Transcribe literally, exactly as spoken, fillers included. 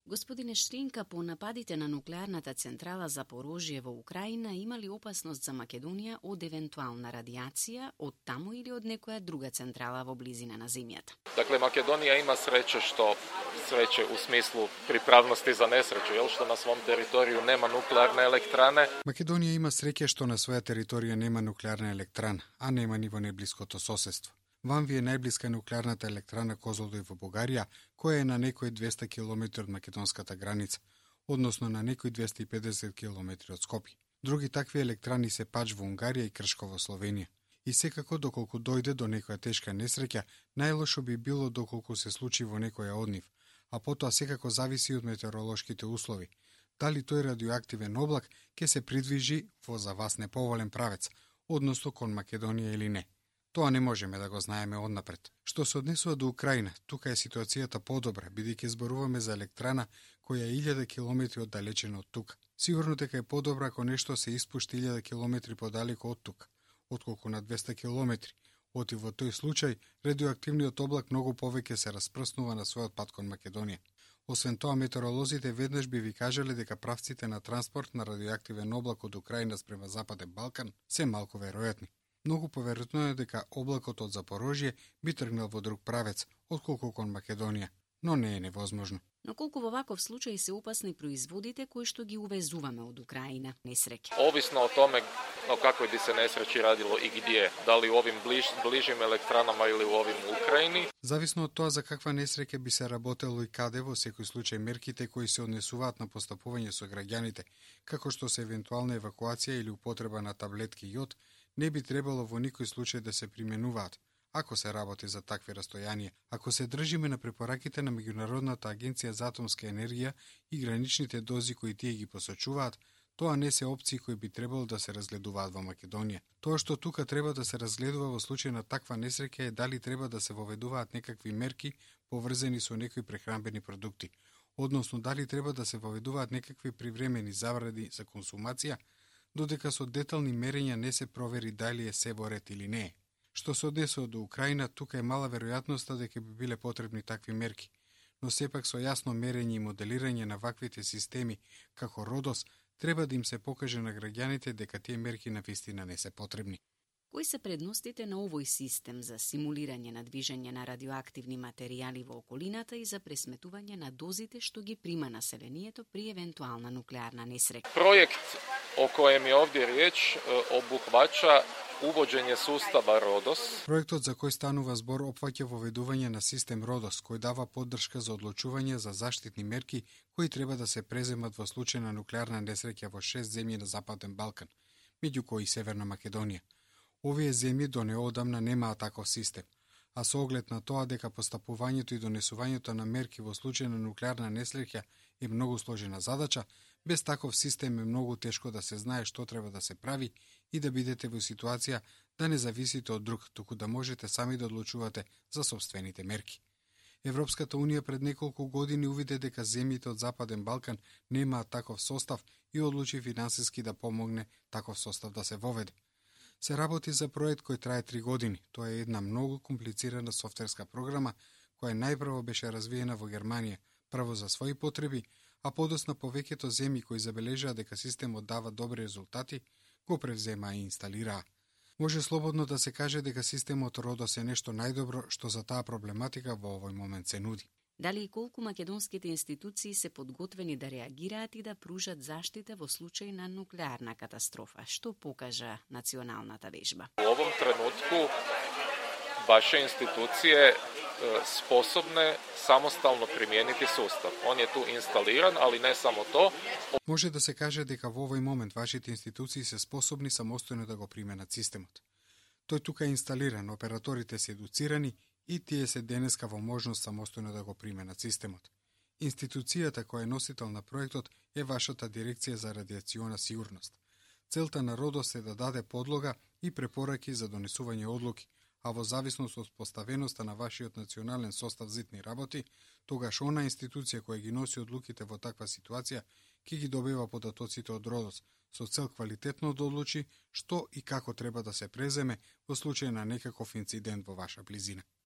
Господине Штринка, по нападите на нуклеарната централа Запорожје во Украина има ли опасност за Македонија од евентуална радијација од таму или од некоја друга централа во близина на земјата? Dakle, Makedonija ima sreće što sreće u smislu pripravnosti za nesreću, jel, što na svom teritoriju nema nuklearne elektrane. Македонија има среќа што на своја територија нема нуклеарна електрана, а нема ни во неблиското соседство. Вам ви е најблиска нуклеарната електрана Козлодуј во Бугарија, која е на некои двеста километри од македонската граница, односно на некои двеста и педесет километри од Скопје. Други такви електрани се Пач во Унгарија и Кршко во Словенија. И секако доколку дојде до некоја тешка несреќа, најлошо би било доколку се случи во некоја од нив, а потоа секако зависи од метеоролошките услови. Дали тој радиоактивен облак ќе се придвижи во за вас неповолен правец, односно кон Македонија или не. Тоа не можеме да го знаеме однапред. Што се однесува до Украина, тука е ситуацијата подобра, бидејќи зборуваме за електрана која е илјада километри оддалечена од тука. Сигурно дека е подобра ако нешто се испушти илјада километри подалеку од тука, отколку на двеста километри. Оти во тој случај, радиоактивниот облак многу повеќе се распрснува на својот пат кон Македонија. Освен тоа, метеоролозите веднаш би ви кажале дека правците на транспорт на радиоактивен облак од Украина спрема Западен Балкан се малку веројатни. Многу поверојатно е дека облакот од Запорожје би тргнал во друг правец, отколку кон Македонија, но не е невозможно. Но колку во ваков случај се опасни производите кои што ги увезуваме од Украина, несреќа? Ovisno o tome o kakvoj bi se nesreći radilo i gdje, da li u ovim bliž, bližim elektranama ili u ovim u Ukrajini. Зависно од тоа за каква несреќа би се работело и каде, во секој случај мерките кои се однесуваат на постапување со граѓаните, како што се евентуална евакуација или употреба на таблетки јод, не би требало во никој случај да се применуваат, ако се работи за такви растојанија. Ако се држиме на препораките на Меѓународната агенција за атомска енергија и граничните дози кои тие ги посочуваат, тоа не се опции кои би требало да се разгледуваат во Македонија. Тоа што тука треба да се разгледува во случај на таква несреќа е дали треба да се воведуваат некакви мерки поврзани со некои прехранбени продукти, односно дали треба да се воведуваат некакви привремени забрани за консумација, додека со детални мерења не се провери дали е се во ред или не е. Што се однесува до Украина, тука е мала веројатноста дека би биле потребни такви мерки, но сепак со јасно мерење и моделирање на ваквите системи, како Родос, треба да им се покаже на граѓаните дека тие мерки навистина не се потребни. Кои се предностите на овој систем за симулирање на движење на радиоактивни материјали во околината и за пресметување на дозите што ги прима населението при евентуална нуклеарна несреќа? Projekt o kojem je ovdje riječ obuhvaća uvođenje sustava Rodos. Проектот за кој станува збор опфаќа воведување на систем Родос, кој дава поддршка за одлучување за заштитни мерки кои треба да се преземат во случај на нуклеарна несреќа во шест земји на Западен Балкан, меѓу кои и Северна Македонија. Овие земји до неодамна немаат таков систем, а со оглед на тоа дека постапувањето и донесувањето на мерки во случај на нуклеарна несреќа е многу сложена задача, без таков систем е многу тешко да се знае што треба да се прави и да бидете во ситуација да не зависите од друг, туку да можете сами да одлучувате за сопствените мерки. Европската Унија пред неколку години увиде дека земјите од Западен Балкан немаат таков состав и одлучи финансиски да помогне таков состав да се воведе. Се работи за проект кој трае три години. Тоа е една многу комплицирана софтверска програма која најпрво беше развиена во Германија, прво за своји потреби, а подосна повеќето земји кои забележаа дека системот дава добри резултати, го превземаа и инсталираа. Може слободно да се каже дека системот Родос е нешто најдобро што за таа проблематика во овој момент се нуди. Дали и колку македонските институции се подготвени да реагираат и да пружат заштита во случај на нуклеарна катастрофа? Што покажа националната вежба? U ovom trenutku vaše institucije sposobne samostalno primijeniti sustav. On je tu instaliran, ali ne samo to. Може да се каже дека во овој момент вашите институции се способни самостојно да го применат системот. Тој тука е инсталиран, операторите се едуцирани и тие се денеска во можност самостојно да го применат системот. Институцијата која е носител на проектот е вашата дирекција за радиациона сигурност. Целта на Родос е да даде подлога и препораки за донесување одлуки, а во зависност од поставеноста на вашиот национален состав за итни работи, тогаш она институција која ги носи одлуките во таква ситуација ќе ги добива податоците од Родос, со цел квалитетно да одлучи што и како треба да се преземе во случај на некаков инцидент во ваша близина.